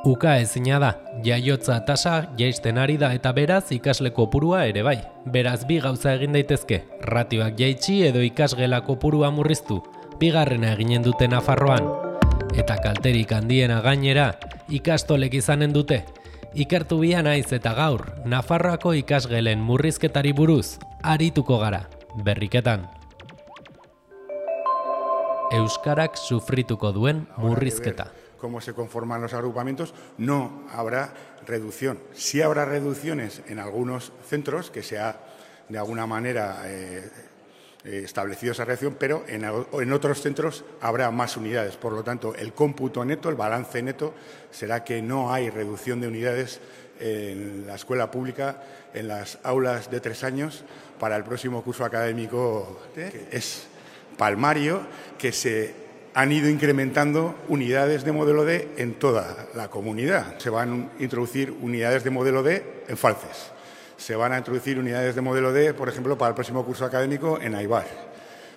Uka ezina da, jaiotza tasa jaisten ari da eta beraz ikasle kopurua ere bai. Beraz bi gauza egin daitezke, ratioak jaitsi edo ikasgela kopurua murriztu, bigarrena eginen dute Nafarroan. Eta kalterik handiena gainera, ikastolek izanen dute. Ikertu bia naiz eta gaur, Nafarroako ikasgelen murrizketari buruz, arituko gara, berriketan. Euskarak sufrituko duen murrizketa. Cómo se conforman los agrupamientos, no habrá reducción. Sí habrá reducciones en algunos centros que se ha de alguna manera establecido esa reducción, pero en otros centros habrá más unidades. Por lo tanto, el cómputo neto, el balance neto, será que no hay reducción de unidades en la escuela pública, en las aulas de 3 años, para el próximo curso académico, que es palmario, que se han ido incrementando unidades de modelo D en toda la comunidad. Se van a introducir unidades de modelo D en Falces. Se van a introducir unidades de modelo D, por ejemplo, para el próximo curso académico en Aibar.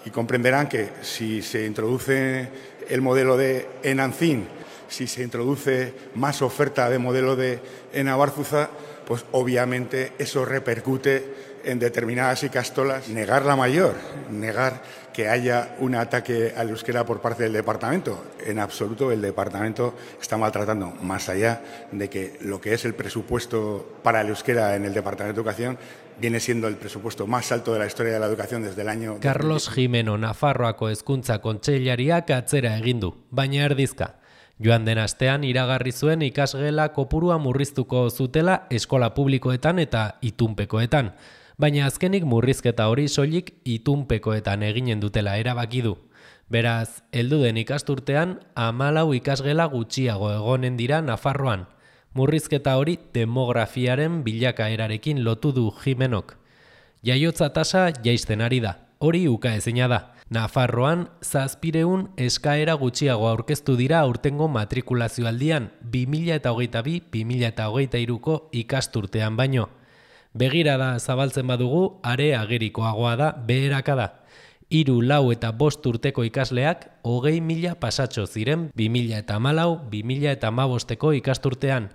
Y comprenderán que si se introduce el modelo D en Ancín, si se introduce más oferta de modelo D en Abarzuza, pues obviamente eso repercute en determinadas ikastolas. Negar la mayor, negar que haya un ataque al euskera por parte del departamento. En absoluto el departamento está maltratando, más allá de que lo que es el presupuesto para el euskera en el departamento de educación viene siendo el presupuesto más alto de la historia de la educación desde el año... Carlos Jimeno Nafarroako Hezkuntza Kontseilariak atzera egin du, baina erdizka. Joan den astean iragarri zuen ikasgela kopurua murriztuko zutela eskola publikoetan eta itunpekoetan. Baina azkenik murrizketa hori soilik itunpekoetan eginen dutela erabaki du. Beraz, heldu den ikasturtean 14 ikasgela gutxiago egonen dira Nafarroan. Murrizketa hori demografiaren bilakaerarekin lotu du Jimenok. Jaiotza tasa jaisten ari da, hori ukaezina da. Nafarroan 700 eskaera gutxiago aurkeztu dira aurtengo matrikulazioaldian 2022-2023ko ikasturtean baino. Begirada zabaltzen badugu, are agerikoagoa da beherakada. 3, 4 eta 5 urteko ikasleak 20.000 pasatxo ziren 2014-2015ko ikasturtean,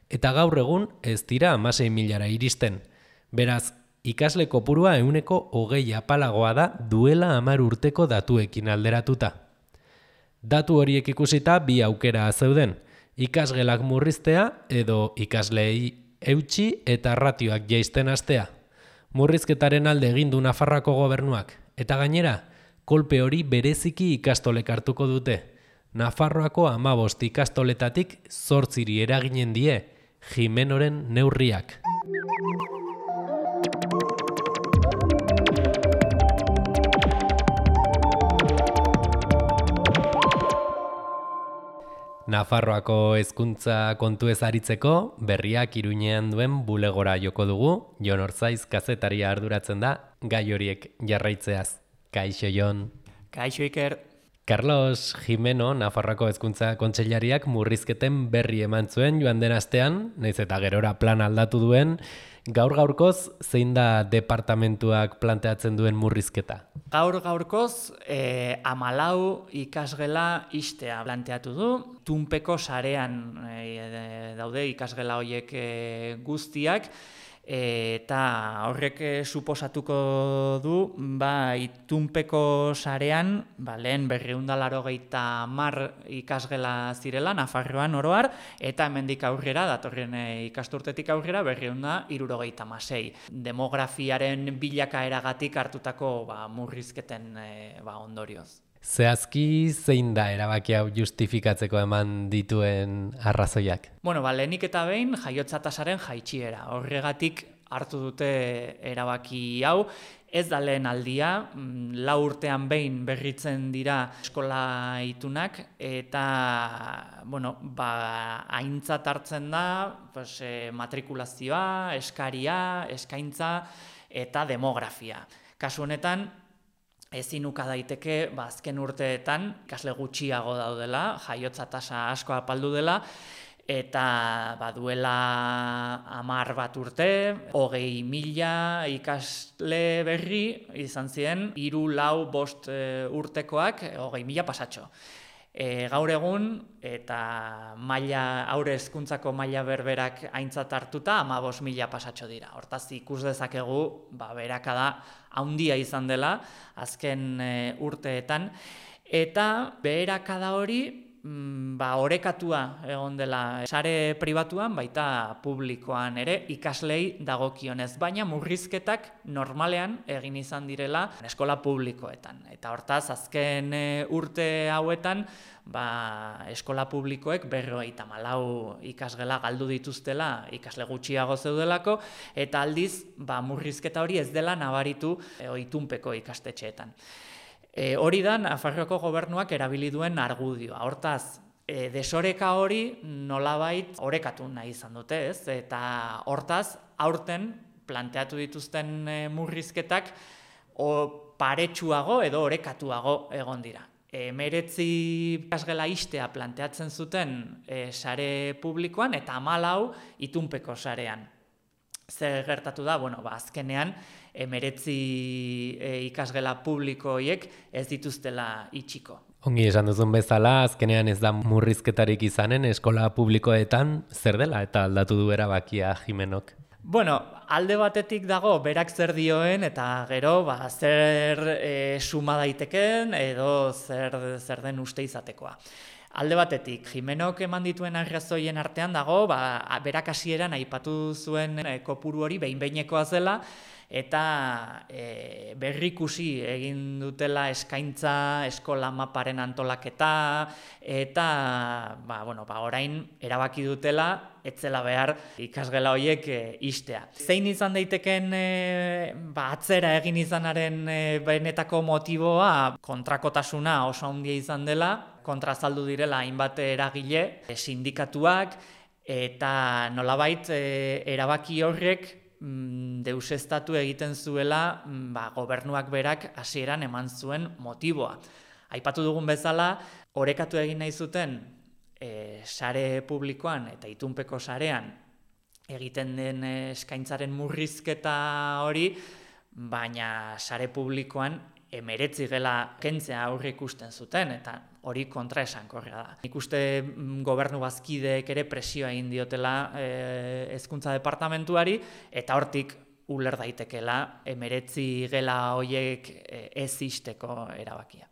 eta gaur egun ez dira 16.000ra iristen. Beraz, ikasle kopurua 20% apalagoa da duela 10 urteko datuekin alderatuta. Datu horiek ikusita bi aukera zeuden, ikasgelak murriztea edo ikasleei eutsi eta ratioak jaisten hastea. Murrizketaren alde egin du Nafarroako gobernuak, eta gainera, kolpe hori bereziki ikastolek hartuko dute. Nafarroako 15 ikastoletatik 8 eraginen die, Jimenoren neurriak. Nafarroako hezkuntza kontuez aritzeko, berriak Iruñean duen bulegora joko dugu. Jon Orzaiz kazetaria arduratzen da, gai horiek jarraitzeaz. Kaixo, Jon. Kaixo, Iker. Carlos Jimeno, Nafarroako hezkuntza kontseilariak murrizketen berri eman zuen joan den astean, naiz eta gerora plan aldatu duen. Gaur-gaurkoz, zein da departamentuak planteatzen duen murrizketa? Gaur-gaurkoz, 14 ikasgela ixtea planteatu du. Tunpeko sarean daude ikasgela horiek guztiak, eta horrek suposatuko du, itunpeko sarean, lehen 280 ikasgela zirela, Nafarroan oroar, eta hemendik aurrera, datorren ikasturtetik aurrera, 276. Demografiaren bilakaeragatik hartutako murrizketen ondorioz. Zehazki zein da erabaki hau justifikatzeko eman dituen arrazoiak? Lehenik eta behin jaiotza tasaren jaitsiera. Horregatik hartu dute erabaki hau. Ez da lehen aldia, 4 urtean behin berritzen dira eskola itunak, eta aintzat hartzen da matrikulazioa, eskaria, eskaintza eta demografia. Kasu honetan, ezin uka daiteke azken urteetan ikasle gutxiago daudela, jaiotza tasa asko apaldu dela, eta duela 10 urte, 20.000 ikasle berri izan ziren, 3, 4, 5 urtekoak 20.000 pasatxo. Gaur egun, eta aurre hezkuntzako maila berberak aintzat hartuta, 15.000 pasatxo dira. Hortaz, ikus dezakegu, beherakada handia izan dela, azken urteetan, eta beherakada hori, orekatua egon dela sare pribatuan, baita publikoan ere, ikaslei dagokionez, baina murrizketak normalean egin izan direla eskola publikoetan. Eta hortaz, azken urte hauetan, eskola publikoek 54 ikasgela galdu dituztela ikasle gutxiago zeudelako, eta aldiz, murrizketa hori ez dela nabaritu itunpeko ikastetxeetan. Hori da, Nafarroako gobernuak erabili duen argudioa. Hortaz, desoreka hori nolabait orekatu nahi izan dute, ez? Eta hortaz, aurten planteatu dituzten murrizketak paretsuago edo orekatuago egon dira. 19 ikasgela ixtea planteatzen zuten sare publikoan eta 14 itunpeko sarean. Zer gertatu da, azkenean 19 ikasgela publiko horiek ez dituztela itxiko. Ongi esan duzun bezala, azkenean ez da murrizketarik izanen eskola publikoetan, zer dela eta aldatu du erabakia Jimenok? Alde batetik dago berak zer dioen eta gero zer suma daiteken edo zer den uste izatekoa. Alde batetik, Jimenok eman dituen arrazoien artean dago, berak hasieran aipatu zuen kopuru hori behin-behinekoa zela, eta berrikusi egin dutela eskaintza, eskola maparen antolaketa, eta orain erabaki dutela, etzela behar ikasgela horiek ixtea. Zein izan daiteken atzera egin izanaren benetako motiboa, kontrakotasuna oso handia izan dela, kontrazaldu direla hainbat eragile, sindikatuak, eta nolabait erabaki horrek deuseztatu egiten zuela gobernuak berak hasieran eman zuen motiboa. Aipatu dugun bezala, orekatu egin nahi zuten sare publikoan eta itunpeko sarean egiten den eskaintzaren murrizketa hori, baina sare publikoan 19 gela kentzea aurre ikusten zuten, eta hori kontraesankorra da. Nik uste gobernu bazkideek ere presioa egin diotela hezkuntza departamentuari, eta hortik uler daitekela 19 gela horiek ez ixteko erabakia.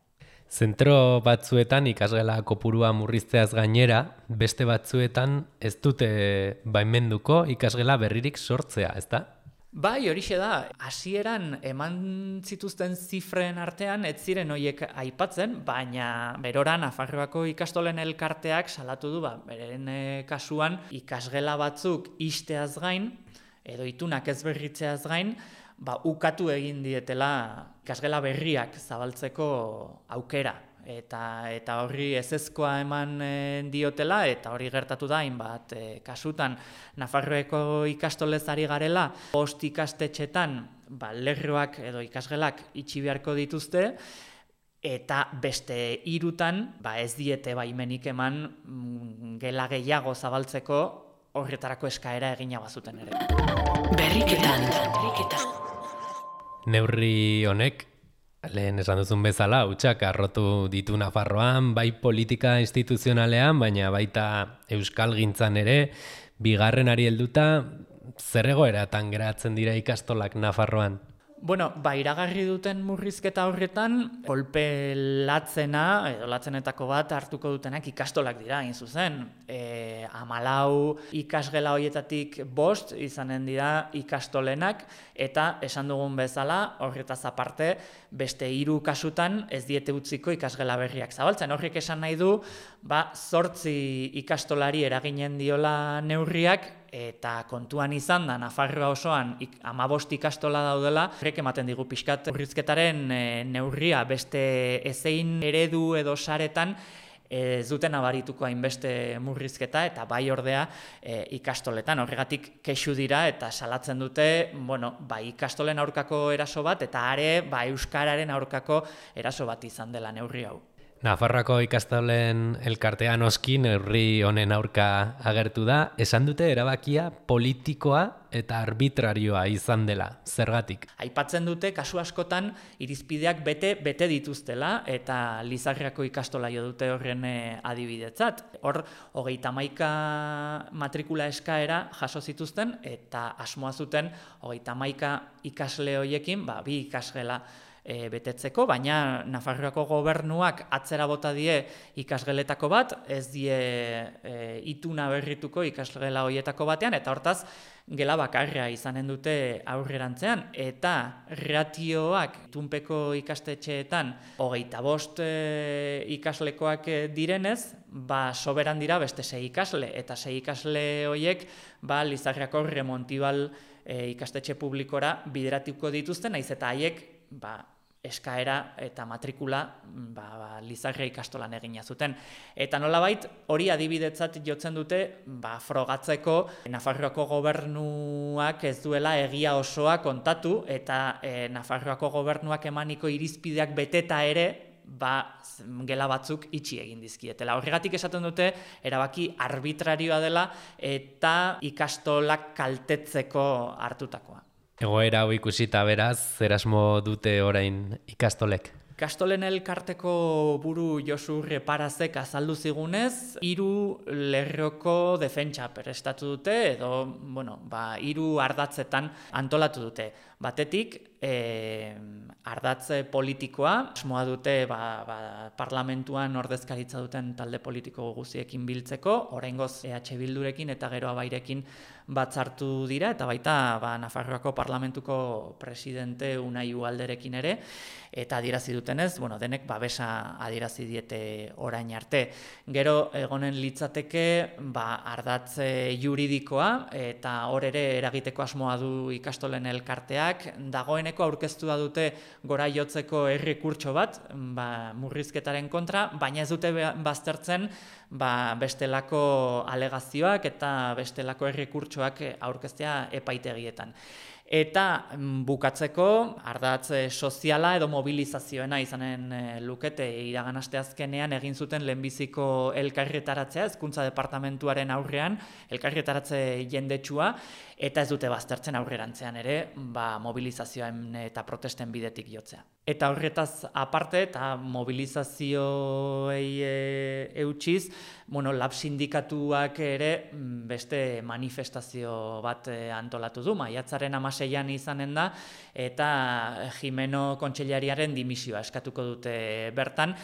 Zentro batzuetan ikasgela kopurua murrizteaz gainera, beste batzuetan ez dute baimenduko ikasgela berririk sortzea, ezta? Bai, horixe da, hasieran eman zituzten zifren artean ez ziren horiek aipatzen, baina berora Nafarroako ikastolen elkarteak salatu du, beren kasuan ikasgela batzuk ixteaz gain, edo itunak ez berritzeaz gain, ukatu egin dietela ikasgela berriak zabaltzeko aukera. Eta horri ezezkoa eman diotela, eta hori gertatu da hainbat kasutan Nafarroako ikastolez ari garela, 5 ikastetxetan lerroak edo ikasgelak itxi beharko dituzte, eta beste 3 ez diete baimenik eman gela gehiago zabaltzeko horretarako eskaera egina bazuten ere. Berriketan. Neurri honek, lehen esan duzun bezala, hutsak arrotu ditu Nafarroan, bai politika instituzionalean, baina baita euskalgintzan ere, bigarrenari helduta, zer egoeratan geratzen dira ikastolak Nafarroan? Iragarri duten murrizketa horretan, kolpe latzena, edo latzenetako bat hartuko dutenak ikastolak dira, hain zuzen. 14 ikasgela horietatik 5 izanen dira ikastolenak, eta esan dugun bezala, horretaz aparte, beste 3 kasutan ez diete utziko ikasgela berriak zabaltzen. Horrek esan nahi du, 8 ikastolari eraginen diola neurriak, eta kontuan izan da, Nafarroa osoan 15 ikastola daudela, horrek ematen digu pixkat murrizketaren neurria beste ezein eredu edo saretan ez duten abarituko hainbeste murrizketa, eta bai ordea ikastoletan. Horregatik kexu dira eta salatzen dute, ikastolen aurkako eraso bat, eta are euskararen aurkako eraso bat izan dela neurri hau. Nafarroako ikastolen elkartea noski neurri honen aurka agertu da, esan dute erabakia politikoa eta arbitrarioa izan dela, zergatik. Aipatzen dute kasu askotan irizpideak bete dituztela eta Lizarriako ikastola jo dute horren adibidetzat. Hor, 31 matrikula eskaera jaso zituzten eta asmoa zuten 31 ikasle horiekin, bi ikasgela betetzeko, baina Nafarroako gobernuak atzera bota die ikasgeletako bat, ez die ituna berrituko ikasgela horietako batean, eta hortaz gela bakarra izanen dute aurrerantzean, eta ratioak itunpeko ikastetxeetan 25 ikaslekoak direnez, soberan dira beste 6 ikasle, eta 6 ikasle horiek Lizarriako Remontibal ikastetxe publikora bideratuko dituzten, naiz eta haiek eskaera eta matrikula Lizarria ikastolan egina zuten. Eta nolabait hori adibidetzat jotzen dute frogatzeko Nafarroako gobernuak ez duela egia osoa kontatu eta Nafarroako gobernuak emaniko irizpideak beteta ere gela batzuk itxi egin dizkietela. Horregatik esaten dute erabaki arbitrarioa dela eta ikastolak kaltetzeko hartutakoa. Egoera hau ikusita beraz, zer asmo dute orain ikastolek? Ikastolen elkarteko buru Josu Reparazek azaldu zigunez, 3 lerroko defentsa prestatu dute edo, 3 ardatzetan antolatu dute. Batetik, ardatze politikoa, asmoa dute parlamentuan ordezkaritza duten talde politiko guztiekin biltzeko, oraingoz EH Bildurekin eta gero Abairekin batzartu dira, eta baita Nafarroako parlamentuko presidente Unai Ugalderekin ere, eta adierazi dutenez, denek babesa adierazi diete orain arte. Gero egonen litzateke ardatze juridikoa, eta hor ere eragiteko asmoa du ikastolen elkarteak, dagoeneko aurkeztua dute gora jotzeko errekurtso bat, murrizketaren kontra, baina ez dute baztertzen bestelako alegazioak eta bestelako errekurtsoak aurkeztea epaitegietan. Eta bukatzeko, ardatz soziala edo mobilizazioena izanen lukete iragan asteazkenean egin zuten lehenbiziko elkarretaratzea, hezkuntza departamentuaren aurrean, elkarretaratze jendetsua, eta ez dute baztertzen aurrerantzean ere, mobilizazioen eta protesten bidetik jotzea. Eta horretaz aparte, eta mobilizazioei eutsiz, lab sindikatuak ere beste manifestazio bat antolatu du, maiatzaren 16an izanen da, eta Jimeno kontseilariaren dimisioa eskatuko dute bertan,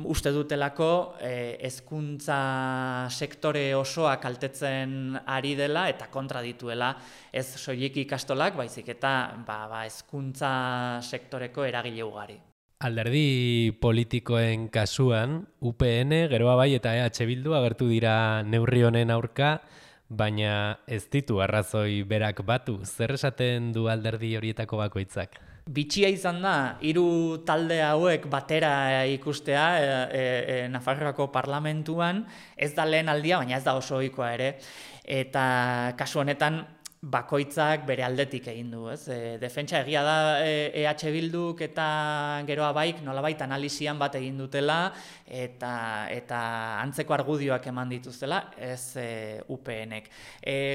uste dutelako hezkuntza sektore osoa kaltetzen ari dela eta kontra dituela ez soilik ikastolak, baizik eta hezkuntza sektoreko eragile ugari. Alderdi politikoen kasuan, UPN, Geroa Bai eta EH Bildu agertu dira neurri honen aurka, baina ez ditu arrazoi berak batu. Zer esaten du alderdi horietako bakoitzak? Bitxia izan da, 3 talde hauek batera ikustea Nafarroako parlamentuan, ez da lehen aldia, baina ez da oso ohikoa ere, eta kasu honetan bakoitzak bere aldetik egin du, ez? Defentsa egia da EH Bilduk eta Geroa Baik nolabait analisian bat egin dutela eta antzeko argudioak eman dituztela, ez UPNek.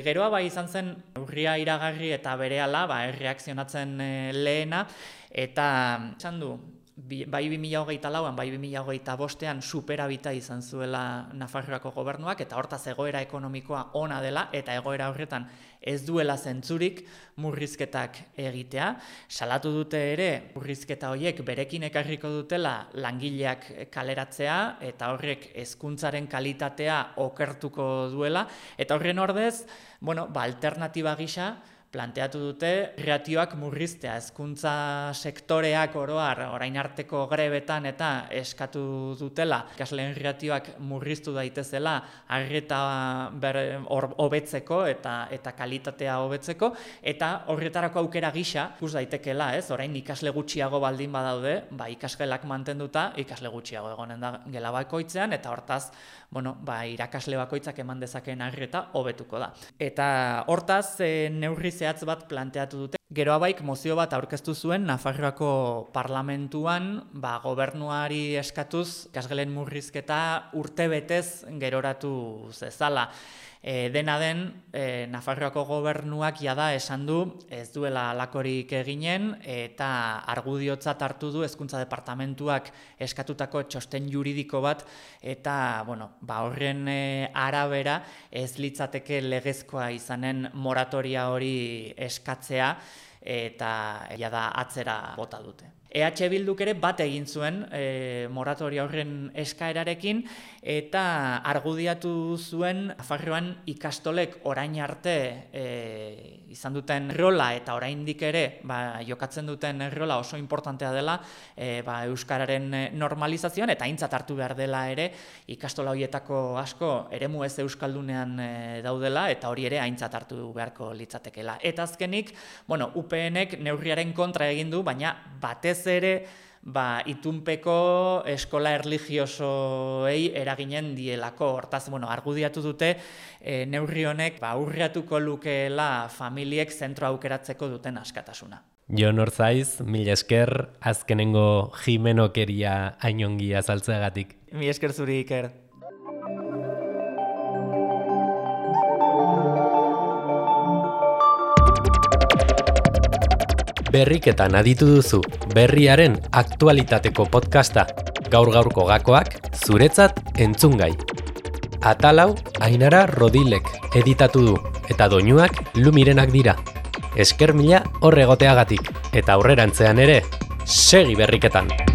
Geroa Bai izan zen urria iragarri eta berehala erreakzionatzen lehena, eta esan du, bai 2024an, bai 2025an superabita izan zuela Nafarroako gobernuak, eta hortaz egoera ekonomikoa ona dela, eta egoera horretan ez duela zentzurik murrizketak egitea. Salatu dute ere, murrizketa horiek berekin ekarriko dutela langileak kaleratzea, eta horrek hezkuntzaren kalitatea okertuko duela, eta horren ordez, alternatiba gisa, planteatu dute ratioak murriztea, hezkuntza sektoreak oroar orain arteko grebetan eta eskatu dutela ikasleen ratioak murriztu daitezela arreta hobetzeko eta kalitatea hobetzeko, eta horretarako aukera gisa ikus daitekela, ez? Orain ikasle gutxiago baldin badaude, ikasgelak mantenduta, ikasle gutxiago egonen da gela bakoitzean, eta hortaz, irakasle bakoitzak eman dezakeen arreta hobetuko da. Eta hortaz neurri zehatz bat planteatu dute. Geroabaik mozio bat aurkeztu zuen Nafarroako parlamentuan, gobernuari eskatuz ikasgelen murrizketa urtebetez geroratu zezala. Dena den, Nafarroako gobernuak jada esan du ez duela halakorik eginen eta argudiotzat hartu du Hezkuntza Departamentuak eskatutako txosten juridiko bat eta horren arabera ez litzateke legezkoa izanen moratoria hori eskatzea eta jada atzera bota dute. EH Bilduk ere bat egin zuen moratoria horren eskaerarekin eta argudiatu zuen Nafarroan ikastolek orain arte izan duten rola eta oraindik ere jokatzen duten rola oso importantea dela euskararen normalizazioan eta aintzat hartu behar dela ere ikastola horietako asko eremu ez euskaldunean daudela eta hori ere aintzat hartu beharko litzatekeela. Eta azkenik, UPNek neurriaren kontra egin du, baina batez ere itunpeko eskola erlijiosoei eraginen dielako. Hortaz, argudiatu dute neurri honek aurreatuko lukeela familiek zentro aukeratzeko duten askatasuna. Jon Orzaiz, mila esker, azkenengo jimenokeria hainongi azaltzeagatik. Mila esker zuri, Iker. Berriketan aditu duzu, berriaren aktualitateko podcasta, gaur-gaurko gakoak, zuretzat entzungai. Atalau, Ainara Rodilek editatu du, eta doinuak Lumirenak dira. Esker mila horregoteagatik, eta aurrerantzean ere, segi berriketan!